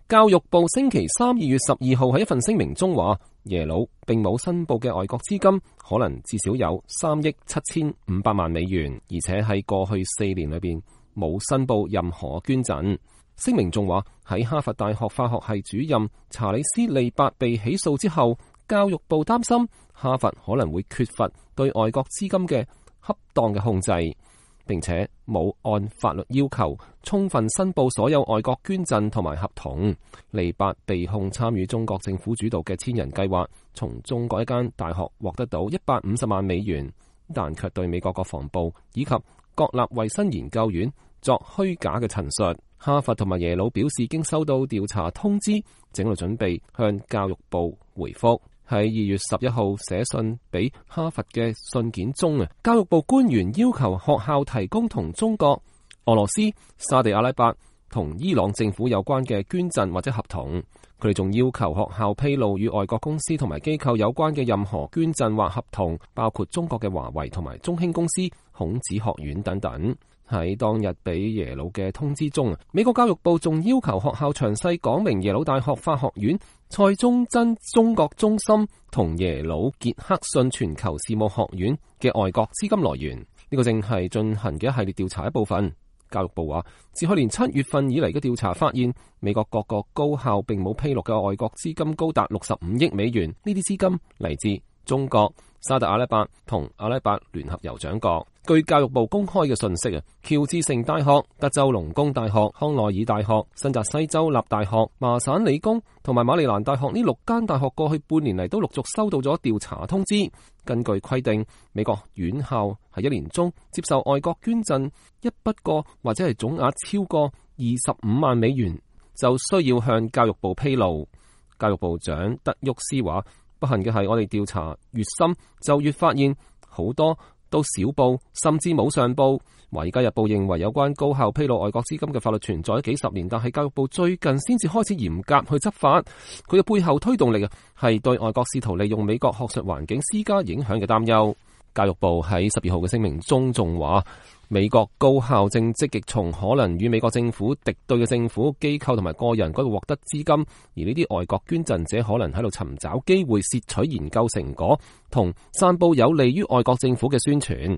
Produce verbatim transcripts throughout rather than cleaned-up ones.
教育部星期三二月十二號喺一份聲明中話，耶魯並冇申報嘅外國資金可能至少有三億七千五百萬美元，而且喺過去四年裏邊冇申報任何捐贈。聲明仲話，喺哈佛大學化學系主任查理斯利伯被起訴之後，教育部擔心哈佛可能會缺乏對外國資金嘅恰當嘅控制，並且冇按法律要求充分申報所有外國捐贈同埋合同。利伯被控參與中國政府主導嘅千人計劃，從中國一間大學獲得到一百五十萬美元，但卻對美國國防部以及國立衛生研究院作虛假嘅陳述。哈佛同埋耶魯表示，經收到調查通知，正喺度準備向教育部回覆。喺二月十一號寫信俾哈佛嘅信件中啊，教育部官員要求學校提供同中國、俄羅斯、沙地阿拉伯同伊朗政府有關嘅捐贈或者合同。佢哋仲要求學校披露與外國公司同埋機構有關嘅任何捐贈或合同，包括中國嘅華為同埋中興公司、孔子學院等等。喺當日俾耶魯嘅通知中，美國教育部仲要求學校詳細講明耶魯大學法學院、蔡宗真中國中心同耶魯傑克遜全球事務學院嘅外國資金來源。呢個正係進行嘅一系列調查一部分。教育部話，自去年七月份以嚟嘅調查發現，美國各個高校並冇披露嘅外國資金高達六十五億美元。呢啲資金嚟自中國、沙特阿拉伯同阿拉伯聯合酋長國。據教育部公開嘅信息啊，喬治城大學、德州農工大學、康奈爾大學、新澤西州立大學、麻省理工同埋馬里蘭大學呢六間大學過去半年嚟都陸續收到咗調查通知。根據規定，美國院校喺一年中接受外國捐贈一筆過或者係總額超過二十五萬美元，就需要向教育部披露。教育部長德沃斯話，不幸嘅係，我哋調查越深就越發現好多都少報，甚至冇上報。華爾街日報認為有關高校披露外國資金嘅法律存在咗幾十年，但係教育部最近先至開始嚴格去執法。佢嘅背後推動力啊，係對外國試圖利用美國學術環境施加影響嘅擔憂。教育部喺十二號嘅聲明中仲話，美國高校正積極從可能與美國政府敵對嘅政府機構同埋個人嗰度獲得資金，而呢啲外國捐贈者可能喺度尋找機會竊取研究成果同散佈有利於外國政府嘅宣傳。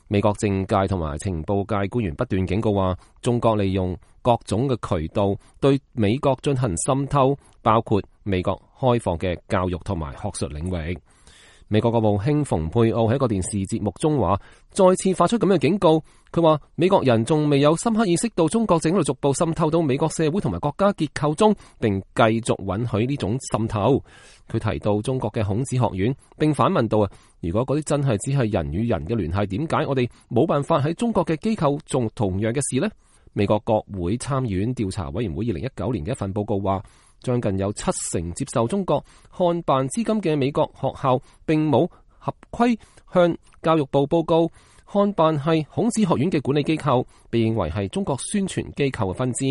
美國政界同埋情報界官員不斷警告話，中國利用各種嘅渠道對美國進行滲透，包括美國開放嘅教育同埋學術領域。美國國務卿蓬佩奧喺一個電視節目中話，再次發出咁嘅警告。佢話美國人仲未有深刻意識到中國正喺度逐步滲透到美國社會同埋國家結構中，並繼續允許呢種滲透。佢提到中國嘅孔子學院，並反問到啊，如果嗰啲真係只係人與人嘅聯繫，點解我哋冇辦法喺中國嘅機構做同樣嘅事呢？美國國會參議院調查委員會二零一九年嘅一份報告話，將近有七成接受中國漢辦資金嘅美國學校並冇合規向教育部報告。漢辦係孔子學院嘅管理機構，被認為係中國宣傳機構嘅分支。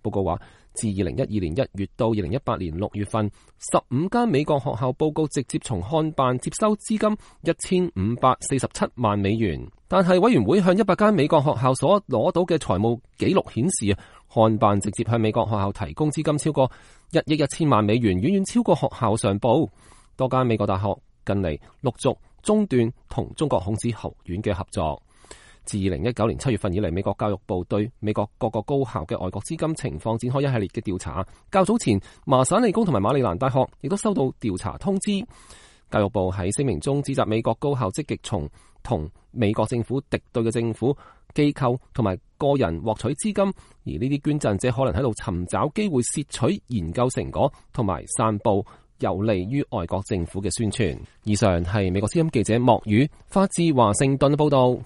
報告話，自二零一二年一月到二零一八年六月份，十五間美國學校報告直接從漢辦接收資金一千五百四十七萬美元。但係委員會向一百間美國學校所攞到嘅財務記錄顯示啊，漢辦直接向美國學校提供資金超過一億一千萬美元，遠遠超過學校上報。多間美國大學近嚟陸續中斷同中國孔子學院嘅合作。自二零一九年七月份以嚟，美國教育部對美國各個高校嘅外國資金情況展開一系列嘅調查。較早前，麻省理工同埋馬里蘭大學亦都收到調查通知。教育部喺聲明中指責美國高校積極從同美國政府敵對嘅政府機構同埋個人獲取資金，而呢啲捐贈者可能喺度尋找機會竊取研究成果同埋散佈有利於外國政府嘅宣傳。以上係美國之音記者莫宇發自華盛頓報道。